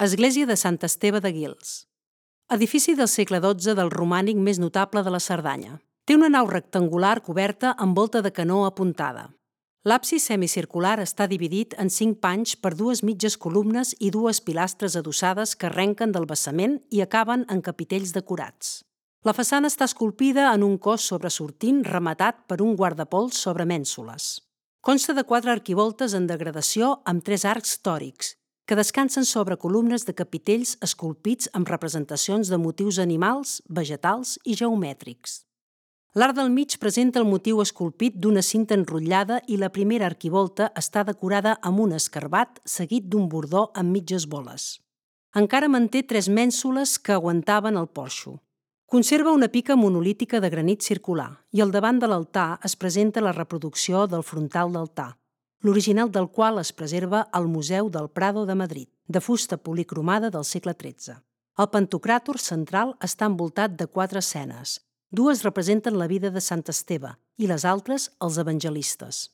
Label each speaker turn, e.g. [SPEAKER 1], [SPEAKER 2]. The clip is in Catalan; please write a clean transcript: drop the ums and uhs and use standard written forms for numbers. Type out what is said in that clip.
[SPEAKER 1] Església de Sant Esteve de Guils. Edifici del segle XII del romànic més notable de la Cerdanya. Té una nau rectangular coberta amb volta de canó apuntada. L'absis semicircular està dividit en 5 panys per 2 mitges columnes i 2 pilastres adossades que arrenquen del basament i acaben en capitells decorats. La façana està esculpida en un cos sobresortint rematat per un guardapols sobre mènsules. Consta de 4 arquivoltes en degradació amb 3 arcs tòrics, que descansen sobre columnes de capitells esculpits amb representacions de motius animals, vegetals i geomètrics. L'arc del mig presenta el motiu esculpit d'una cinta enrotllada i la primera arquivolta està decorada amb un escarbat seguit d'un bordó amb mitges boles. Encara manté 3 mènsules que aguantaven el porxo. Conserva una pica monolítica de granit circular i al davant de l'altar es presenta la reproducció del frontal d'altar, l'original del qual es preserva al Museu del Prado de Madrid, de fusta policromada del segle XIII. El pantocràtor central està envoltat de 4 escenes. 2 representen la vida de Sant Esteve i les altres els evangelistes.